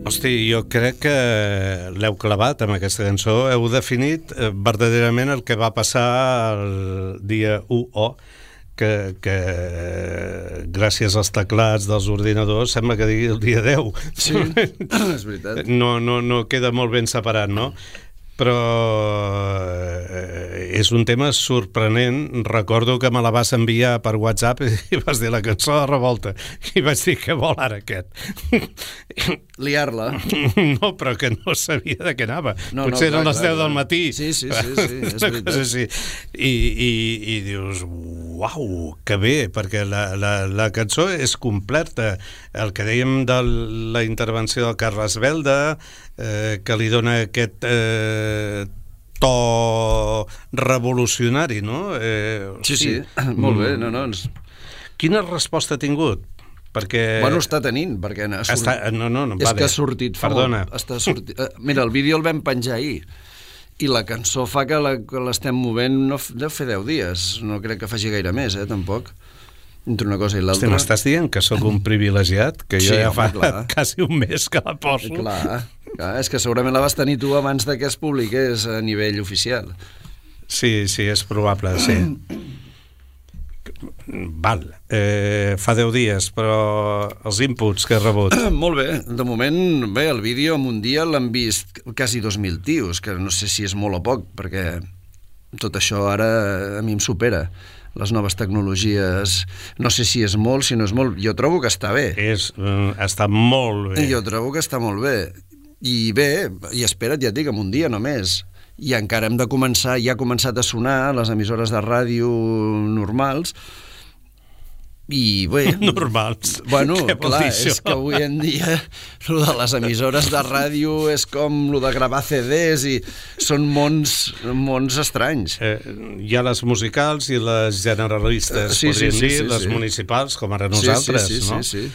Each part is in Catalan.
Hosti, jo crec que l'heu clavat amb aquesta cançó, heu definit verdaderament el que va passar el dia 1O, que gràcies als teclats dels ordinadors sembla que digui el dia 10. Sí, és veritat. No queda molt ben separat, no? Però és un tema sorprenent. Recordo que me la vas enviar per WhatsApp i vas dir la cançó de Revolta i vaig dir què vol ara aquest. Liar-la. No, però que no sabia de què anava. Potser eren les 10 del matí. Sí, és veritat. I dius, uau, que bé, perquè la cançó és completa. El que dèiem de la intervenció del Carles Belda, que li dona aquest to revolucionari, no? Sí, molt bé. Quina resposta ha tingut? Perquè... Bueno, està tenint, perquè no, és que ha sortit fa molt. Mira, el vídeo el vam penjar ahir, i la cançó fa que l'estem movent, deu fer 10 dies, no crec que faci gaire més, tampoc. Entre una cosa i l'altra. M'estàs dient que sóc un privilegiat? Que jo ja fa quasi un mes que la poso. Clar, és que segurament la vas tenir tu abans que es publiqués a nivell oficial. Sí, és probable, sí. Val, fa 10 dies, però els inputs que he rebut... Molt bé, de moment, el vídeo en un dia l'han vist quasi 2.000 tios, que no sé si és molt o poc, perquè tot això ara a mi em supera. Les noves tecnologies, no sé si és molt, si no és molt, jo trobo que està bé. Està molt bé. Jo trobo que està molt bé. I bé, i espera't, ja et dic, en un dia només. I encara hem de començar, ja ha començat a sonar les emissores de ràdio normals, i bé... Normals? Bueno, clar, és que avui en dia lo de les emissores de ràdio és com lo de gravar CDs i són mons estranys. Hi ha les musicals i les generalistes, podríem dir, les municipals, com ara nosaltres, no? Sí.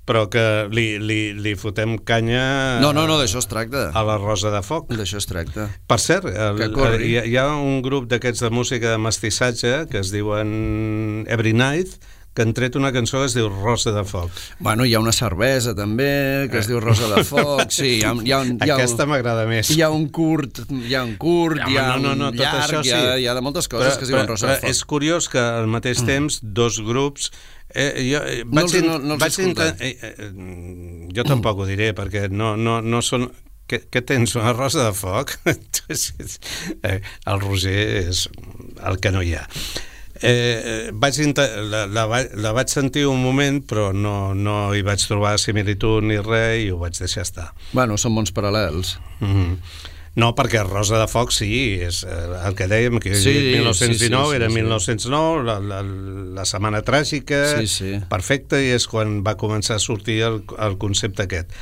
Però que li fotem canya... No, d'això es tracta. A la Rosa de Foc. D'això es tracta. Per cert, hi ha un grup d'aquests de música de mestissatge que es diuen Every Night, que han tret una cançó que es diu Rosa de Foc. Bueno, hi ha una cervesa també que es diu Rosa de Foc. Sí, aquesta m'agrada més. Hi ha un curt, hi ha un llarg, hi ha de moltes coses que es diuen Rosa de Foc. És curiós que al mateix temps dos grups... Jo tampoc ho diré, perquè no són... Què tens, una rosa de foc? El Roger és el que no hi ha. La vaig sentir un moment, però no hi vaig trobar similitud ni res i ho vaig deixar estar. Bueno, són mons paral·lels. No, perquè Rosa de Foc sí, és el que dèiem, que 1919 era 1909, la setmana tràgica, perfecte, i és quan va començar a sortir el concepte aquest.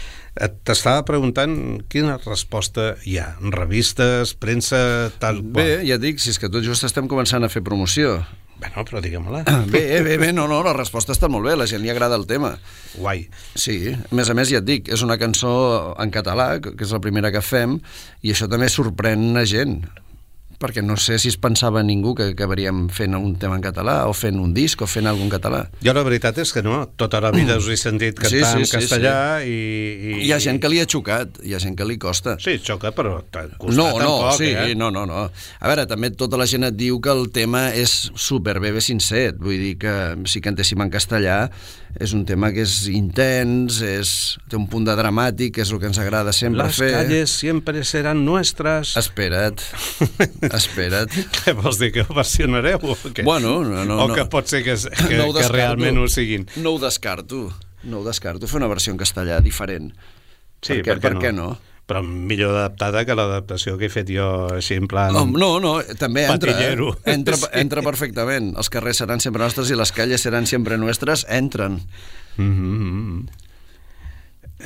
T'estava preguntant quina resposta hi ha, revistes, premsa, tal qual. Bé, ja dic, si és que tot just estem començant a fer promoció. Bueno, però digue-me-la. Bé, no, la resposta està molt bé, la gent li agrada el tema. Guai. Sí, a més, ja et dic, és una cançó en català, que és la primera que fem, i això també sorprèn la gent, perquè no sé si es pensava ningú que acabaríem fent un tema en català, o fent un disc, o fent alguna català. Jo la veritat és que no, tota la vida us he sentit cantar en castellà i... Hi ha gent que li ha xocat, hi ha gent que li costa. Sí, xoca, però costa tampoc, No. A veure, també tota la gent et diu que el tema és superbé sincer, vull dir que si cantéssim en castellà és un tema que és intens, té un punt de dramàtic, que és el que ens agrada sempre fer. Les calles siempre serán nuestras. Espera't. Què vols dir, que ho versionareu? Bueno, no. O que pot ser que realment ho siguin. No ho descarto, fer una versió en castellà diferent. Sí, per què no? Però millor adaptada que l'adaptació que he fet jo així en plan... No, també patillero. Entra perfectament. Els carrers seran sempre nostres i les calles seran sempre nostres, entren. No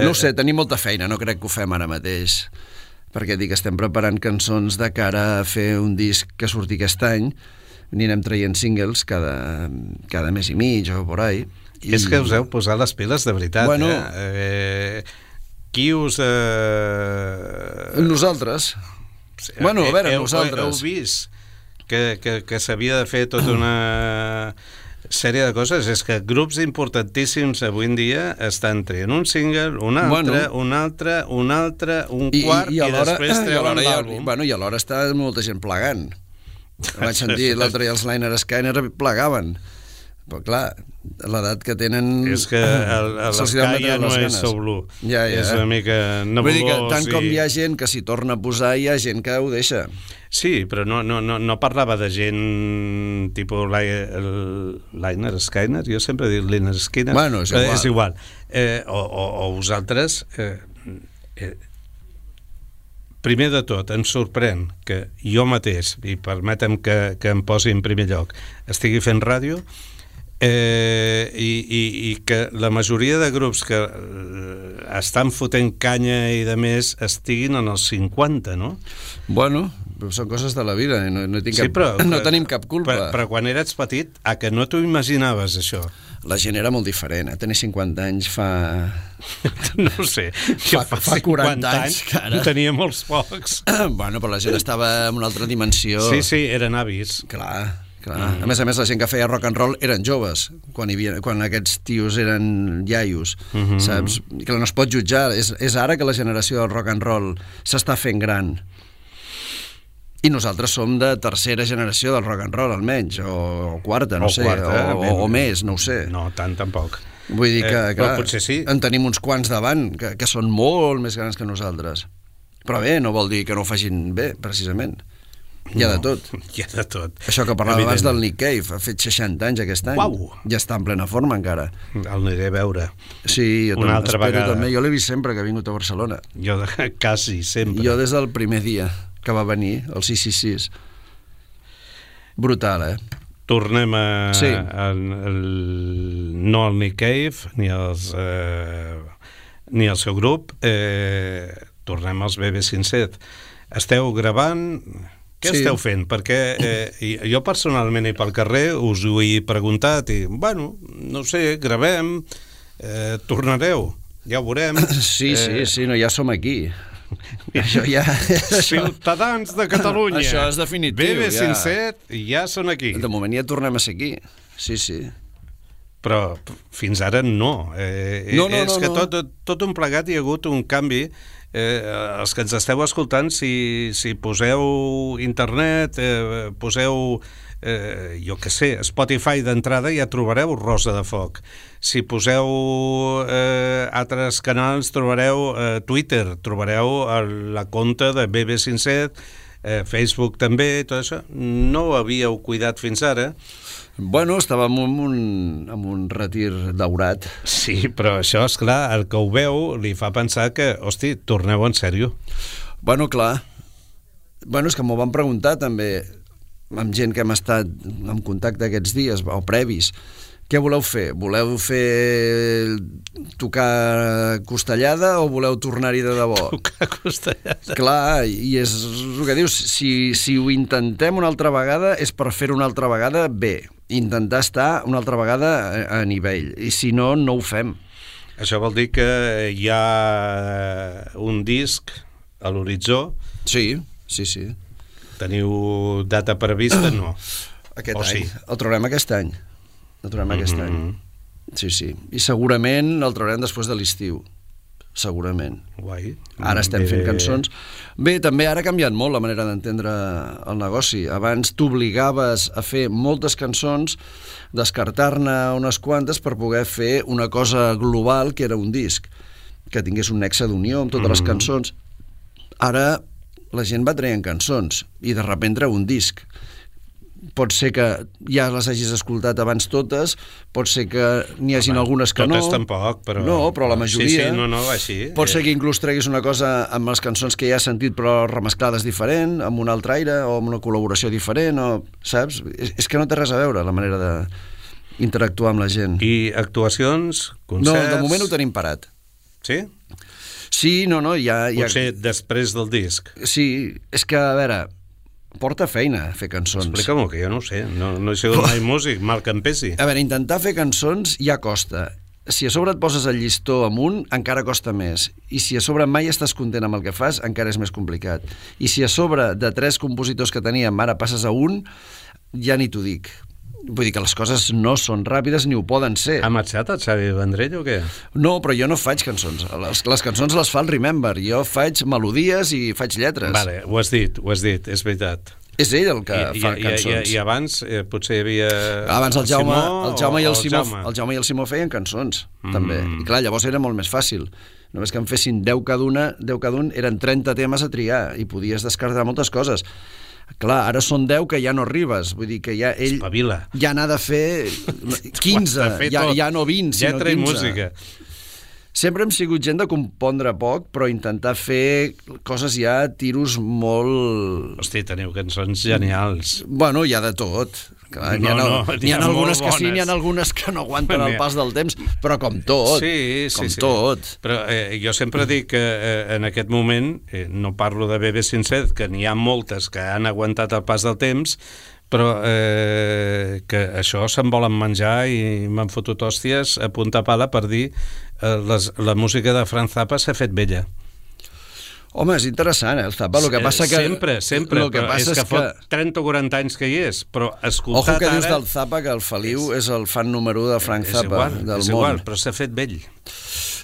ho sé, tenim molta feina, no crec que ho fem ara mateix, perquè dic, estem preparant cançons de cara a fer un disc que surti aquest any, anirem traient singles cada mes i mig o por ahí. És que us heu posat les piles de veritat, bueno, Qui us... Nosaltres. Bueno, a veure, nosaltres. Heu vist que s'havia de fer tota una sèrie de coses. És que grups importantíssims avui en dia estan traient un single, un altre, un quart, i després treuen l'àlbum. I alhora està molta gent plegant. Vaig sentir l'altre dia els Liner Skyner plegaven. Però clar, l'edat que tenen... És que l'Sky ja no és So Blue. És una mica nebulós. Vull dir que tant com hi ha gent que s'hi torna a posar, hi ha gent que ho deixa. Sí, però no parlava de gent tipus Liner Skyner. Jo sempre dic Liner Skyner. Bueno, és igual. O vosaltres... Primer de tot, em sorprèn que jo mateix, i permetem que em posi en primer lloc, estigui fent ràdio, i que la majoria de grups que estan fotent canya i de més estiguin en els 50, no? Bueno, són coses de la vida, no tenim cap culpa. Però quan eres petit, a que no t'ho imaginaves, això? La gent era molt diferent, tenir 50 anys fa... No ho sé, fa 40 anys en tenia molts pocs. Bueno, però la gent estava en una altra dimensió. Sí, eren avis. Clar. A més, la gent que feia rock and roll eren joves, quan aquests tios eren iaios, saps? Que no es pot jutjar, és ara que la generació del rock and roll s'està fent gran. I nosaltres som de tercera generació del rock and roll, almenys, o quarta, no sé, o més, no ho sé. No, tant tampoc. Vull dir que, clar, potser sí. En tenim uns quants davant, que són molt més grans que nosaltres. Però bé, no vol dir que no ho facin bé, precisament. Hi ha de tot. Hi ha de tot. Això que parlava abans del Nick Cave, ha fet 60 anys aquest any. Uau! Ja està en plena forma encara. El aniré a veure. Sí, jo una altra vegada. També. Jo l'he vist sempre que ha vingut a Barcelona. Jo quasi sempre. Jo des del primer dia que va venir, el 666. Brutal, Tornem a... Sí. No al Nick Cave, ni al seu grup. Tornem als BB507. Esteu gravant... Què esteu fent? Perquè jo personalment i pel carrer us ho he preguntat i, bueno, no sé, gravem, tornareu, ja ho veurem. Sí, ja som aquí. Això ja... Ciutadans de Catalunya. Això és definitiu. BB507 ja són aquí. De moment ja tornem a ser aquí. Sí. Però fins ara no. És que tot un plegat hi ha hagut un canvi. Els que ens esteu escoltant, si poseu internet, poseu jo què sé, Spotify d'entrada, ja trobareu Rosa de Foc. Si poseu altres canals, trobareu Twitter, trobareu la compte de BB507, Facebook també, tot això. No ho havíeu cuidat fins ara. Bueno, estàvem en un retir daurat. Sí, però això, esclar, el que ho veu li fa pensar que, hosti, torneu en sèrio. Bueno, clar. Bueno, és que m'ho van preguntar també amb gent que hem estat en contacte aquests dies, o previs. Què voleu fer? Voleu fer tocar costellada o voleu tornar-hi de debò? Tocar costellada. Clar, i és el que dius, si ho intentem una altra vegada és per fer-ho una altra vegada bé, intentar estar una altra vegada a nivell, i si no, no ho fem. Això vol dir que hi ha un disc a l'horitzó? Sí. Teniu data prevista? No. Aquest any. El traurem aquest any. Sí. I segurament el traurem després de l'estiu. Segurament. Guai. Ara estem fent cançons. Bé, també ara ha canviat molt la manera d'entendre el negoci. Abans t'obligaves a fer moltes cançons, descartar-ne unes quantes per poder fer una cosa global que era un disc, que tingués un nexe d'unió amb totes les cançons. Ara la gent va traient cançons i de sobte treu un disc. Pot ser que ja les hagis escoltat abans totes, pot ser que n'hi hagin algunes que no. Totes tampoc, però... No, però la majoria... Sí, així. Pot ser que inclús treguis una cosa amb les cançons que ja has sentit però remesclades diferent, amb un altre aire o amb una col·laboració diferent, o, saps? És que no té res a veure la manera d'interactuar amb la gent. I actuacions, concerts... No, de moment ho tenim parat. Sí? Sí, no, ja... Potser després del disc. Sí, és que, a veure... Porta feina fer cançons. Explica-m'ho, que jo no ho sé. No he sigut mai músic, mal que em pesi. A veure, intentar fer cançons ja costa. Si a sobre et poses el llistó amunt, encara costa més. I si a sobre mai estàs content amb el que fas, encara és més complicat. I si a sobre de 3 compositors que teníem ara passes a un, ja ni t'ho dic. Vull dir que les coses no són ràpides ni ho poden ser. Ha marxat el Xavi Vendrell o què? No, però jo no faig cançons. Les cançons les fa el Remember. Jo faig melodies i faig lletres. Vale, ho has dit, és veritat. És ell el que fa cançons. I abans potser hi havia... Abans el Jaume i el Simó feien cançons, també. I clar, llavors era molt més fàcil. Només que en fessin 10 cada un, eren 30 temes a triar i podies descartar moltes coses. Clar, ara són 10 que ja no arribes, vull dir que ja ell espavila. Ja n'ha de fer 15, ja no 20, sinó 15. Lletra i música. Sempre hem sigut gent de compondre poc, però intentar fer coses ja, tiros molt... Hosti, teniu cançons genials. Bueno, hi ha de tot. Clar, n'hi ha algunes que sí, n'hi ha algunes que no aguanten el pas del temps, però com tot. Sí. Tot. Però jo sempre dic que en aquest moment, no parlo de Bebe Sincet, que n'hi ha moltes que han aguantat el pas del temps, però que això se'n volen menjar i m'han fotut hòsties a punta pala per dir la música de Frank Zappa s'ha fet vella. Home, és interessant, el Zappa. El que passa que... Sempre, però és que fot 30 o 40 anys que hi és, però escoltat ara... Ojo que dius del Zappa que el Feliu és el fan número 1 de Frank Zappa del món. És igual, però s'ha fet vell.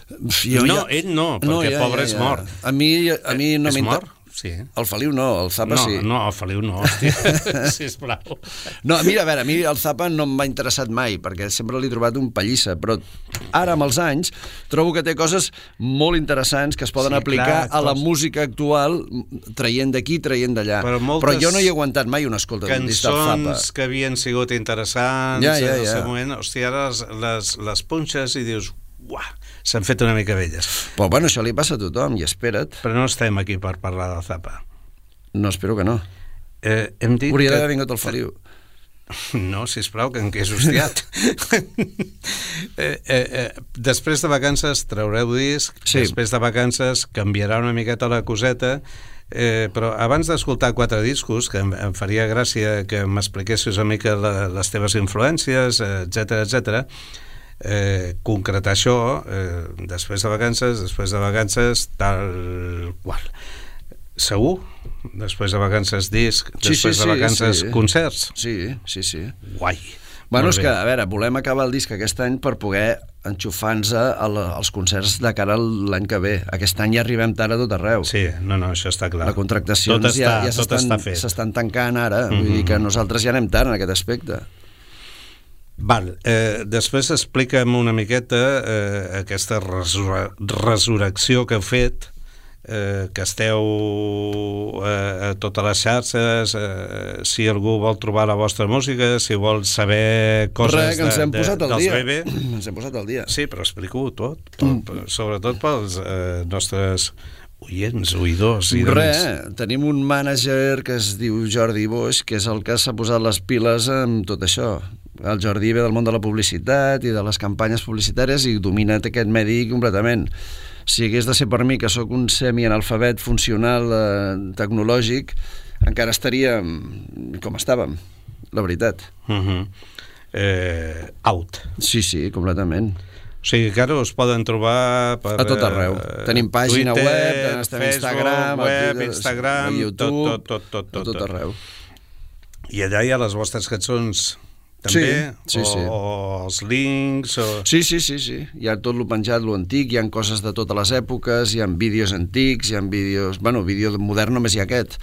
Ell no, perquè pobre és mort. A mi no és mort? Sí. El Feliu no, el Zappa sí. No, el Feliu no, hòstia, sisplau. No, mira, a veure, a mi el Zappa no m'ha interessat mai, perquè sempre l'he trobat un pallissa, però ara, amb els anys, trobo que té coses molt interessants que es poden aplicar a la música actual, traient d'aquí, traient d'allà. Però jo no hi he aguantat mai una escolta d'un disc del Zappa. Cançons que havien sigut interessants en el seu moment, hòstia, ara les punxes i dius... Uah, s'han fet una mica velles. Però bueno, això li passa a tothom, i espera't. Però no estem aquí per parlar del Zappa. No, espero que no. Hem dit hauria d'haver vingut el Feliu. No, sisplau, que en què és hostiat. Després de vacances traureu disc, després de vacances canviarà una miqueta la coseta, però abans d'escoltar 4 discos, que em faria gràcia que m'expliquessis una mica les teves influències, etcètera, concretar això després de vacances tal qual. Segur? Després de vacances disc, després de vacances concerts? Sí. Guai. Bueno, és que, a veure, volem acabar el disc aquest any per poder enxufar-nos als concerts de cara a l'any que ve. Aquest any ja arribem tard a tot arreu. Sí, no, això està clar. Les contractacions ja s'estan tancant ara, vull dir que nosaltres ja anem tard en aquest aspecte. Val, després explica'm una miqueta aquesta resurrecció que heu fet, que esteu a totes les xarxes, si algú vol trobar la vostra música, si vol saber coses que ens hem posat al dels dia. Bebe. Ens hem posat al dia. Sí, però explico-ho tot, sobretot pels nostres oïdors. Tenim un mànager que es diu Jordi Boix, que és el que s'ha posat les piles amb tot això. El Jordi ve del món de la publicitat i de les campanyes publicitàries i domina aquest medi completament. Si hagués de ser per mi, que sóc un semi-analfabet funcional tecnològic, encara estaríem com estàvem, la veritat. Out. Sí, completament. O sigui que ara us poden trobar per... A tot arreu. Tenim pàgina Twitter, web, estem Facebook, Instagram, YouTube, tot. A tot arreu. I allà hi ha les vostres cançons també? Sí. O els links? Sí. Hi ha tot lo penjat, lo antic, hi ha coses de totes les èpoques, hi ha vídeos antics, hi ha vídeos... Bueno, vídeo modern només hi ha aquest,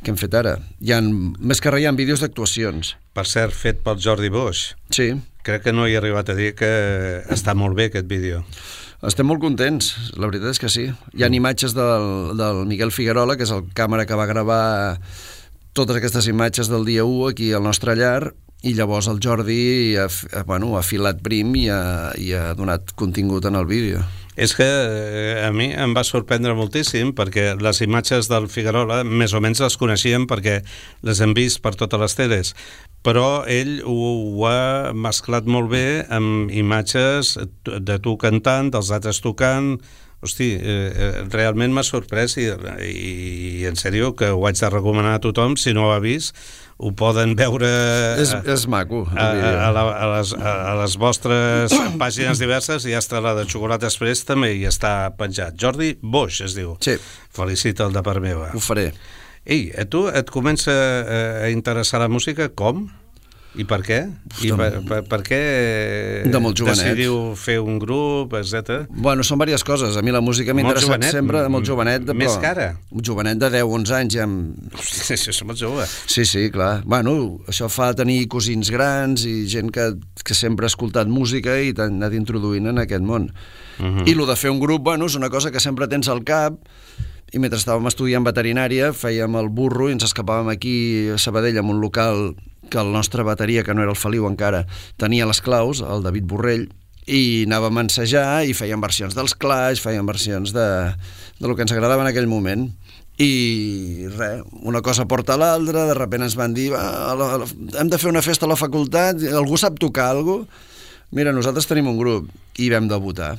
que hem fet ara. Més que res hi ha vídeos d'actuacions. Per cert, fet pel Jordi Boix. Sí. Crec que no he arribat a dir que està molt bé aquest vídeo. Estem molt contents, la veritat és que sí. Hi ha imatges del Miguel Figuerola, que és el càmera que va gravar totes aquestes imatges del dia 1 aquí al nostre llar, i llavors el Jordi ha filat prim i ha donat contingut en el vídeo. És que a mi em va sorprendre moltíssim, perquè les imatges del Figuerola més o menys les coneixíem perquè les hem vist per totes les teles, però ell ho ha mesclat molt bé amb imatges de tu cantant, dels altres tocant. Hosti, realment m'ha sorprès i en sèrio que ho haig de recomanar a tothom. Si no ho ha vist, ho poden veure és maco a les vostres pàgines diverses. I està la de Xocolata Express també i està penjat. Jordi Boix es diu. Sí. Felicita'l de part meva. Ho faré. Ei, a tu et comença a interessar la música com? I per què? Per què decidiu fer un grup, etc? Bueno, són diverses coses. A mi la música m'ha interessat sempre, molt jovenet. Més cara? Jovenet de 10-11 anys ja... Hosti, això és molt jove. Sí, clar. Bueno, això fa tenir cosins grans i gent que sempre ha escoltat música i t'ha anat introduint en aquest món. I el de fer un grup, bueno, és una cosa que sempre tens al cap. I mentre estàvem estudiant veterinària fèiem el burro i ens escapàvem aquí a Sabadell en un local que el nostre bateria, que no era el Feliu encara, tenia les claus, el David Borrell, i anàvem a ensejar i fèiem versions dels Clash, fèiem versions de lo que ens agradava en aquell moment. I res, una cosa porta a l'altra, de sobte ens van dir hem de fer una festa a la facultat, algú sap tocar alguna cosa? Mira, nosaltres tenim un grup, i vam debutar.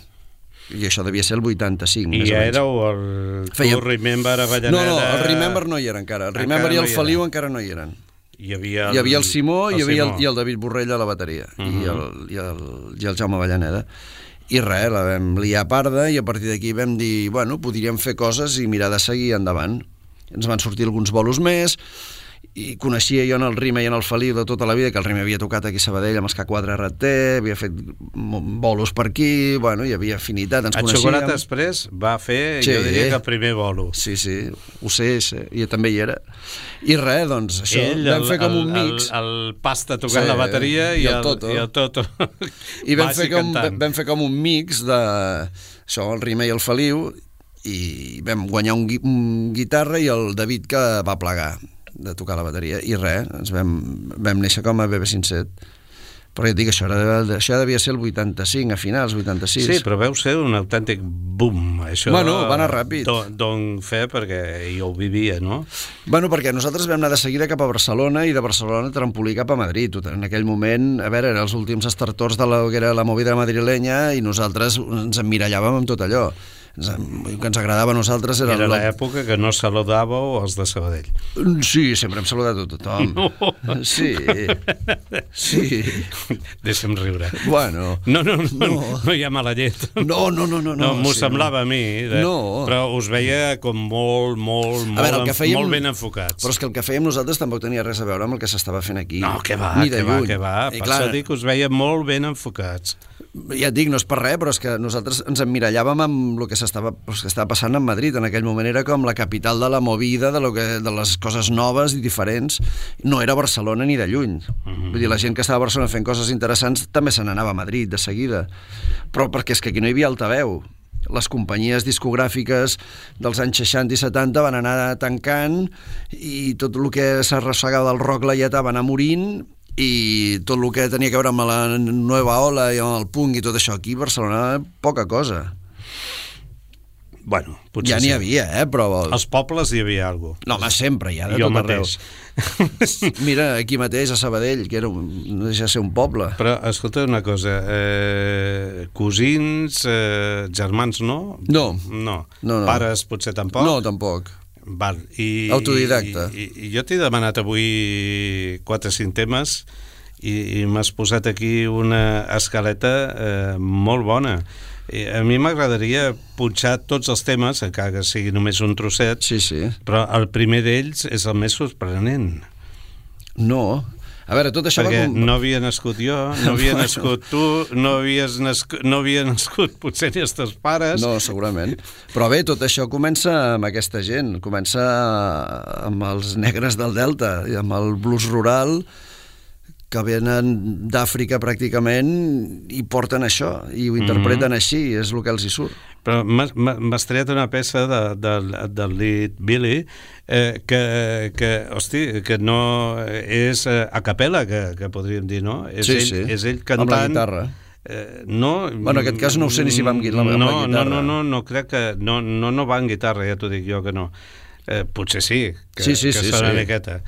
I això devia ser el 85. I ja éreu el Remember a Avellaneda... No, el Remember no hi era encara. El Remember i el Feliu encara no hi eren. Hi havia el Simó i el David Borrell a la bateria i el Jaume Avellaneda. I res, la vam liar parda i a partir d'aquí vam dir, bueno, podríem fer coses i mirar de seguir endavant. Ens van sortir alguns bolos més i coneixia jo en el Rime i en el Feliu de tota la vida, que el Rime havia tocat aquí a Sabadell amb K4 RT, havia fet bolos per aquí, bueno, hi havia afinitat, ens coneixíem. El Xocolata Express va fer, jo diria que el primer bolo. Sí, ho sé, i també hi era. I res, doncs, això, vam fer com un mix. El Pasta tocant la bateria i el Toto. I vam fer com un mix de això, el Rime i el Feliu, i vam guanyar un guitarra i el David que va plegar de tocar la bateria, i res, ens vam néixer com a BB57. Però ja et dic, això devia ser el 85, a finals, 86. Sí, però veu ser un autèntic boom. Això bueno, va anar ràpid. Don fe, perquè jo ho vivia, no? Bueno, perquè nosaltres vam anar de seguida cap a Barcelona i de Barcelona trampolí cap a Madrid. En aquell moment, a veure, eren els últims estertors de que era la movida madrilenya i nosaltres ens emmirallàvem amb tot allò. El que ens agradava a nosaltres era l'època que no saludàveu els de Sabadell. Sí, sempre hem saludat a tothom. No. Sí. Deixa'm riure. Bueno. No hi ha mala llet. No. M'ho semblava a mi. Però us veia com molt ben enfocats. Però és que el que fèiem nosaltres tampoc tenia res a veure amb el que s'estava fent aquí. No, que va. Per això dic que us veia molt ben enfocats. Ja et dic, no és per res, però és que nosaltres ens emmirallàvem amb el que estava passant en Madrid. En aquell moment era com la capital de la movida, de les coses noves i diferents. No era Barcelona ni de lluny. Vull dir, la gent que estava a Barcelona fent coses interessants també se n'anava a Madrid de seguida. Però perquè és que aquí no hi havia altaveu. Les companyies discogràfiques dels anys 60 i 70 van anar tancant i tot el que s'arrossegava del rock laietà va anar morint i tot el que tenia a veure amb la nova ola i amb el punk i tot això aquí a Barcelona, poca cosa. Bueno, potser ja n'hi havia, però... Als pobles hi havia alguna cosa. No, home, sempre, ja de tot arreu. Mira, aquí mateix, a Sabadell, que no deixa de ser un poble. Però, escolta una cosa, cosins, germans, no? No. Pares, potser tampoc? No, tampoc. Val. Autodidacta. I jo t'he demanat avui 4 o 5 temes i m'has posat aquí una escaleta molt bona. A mi m'agradaria punxar tots els temes, encara que sigui només un trosset, sí. Però el primer d'ells és el més sorprenent. No. A veure, tot això perquè no havia nascut jo, no havia nascut tu, no havia nascut potser ni els teus pares. No, segurament. Però bé, tot això comença amb aquesta gent, comença amb els negres del Delta, i amb el blues rural, que venen d'Àfrica pràcticament i porten això, i ho interpreten així, és el que els hi surt. Però m'has tret una peça del Lead Billy que no és a capella, que podríem dir, no? És ell cantant... Amb la guitarra. No, bueno, en aquest cas no ho sé ni si va amb la guitarra. No, crec que no va amb guitarra, ja t'ho dic jo que no. Potser sí, que sona una miqueta.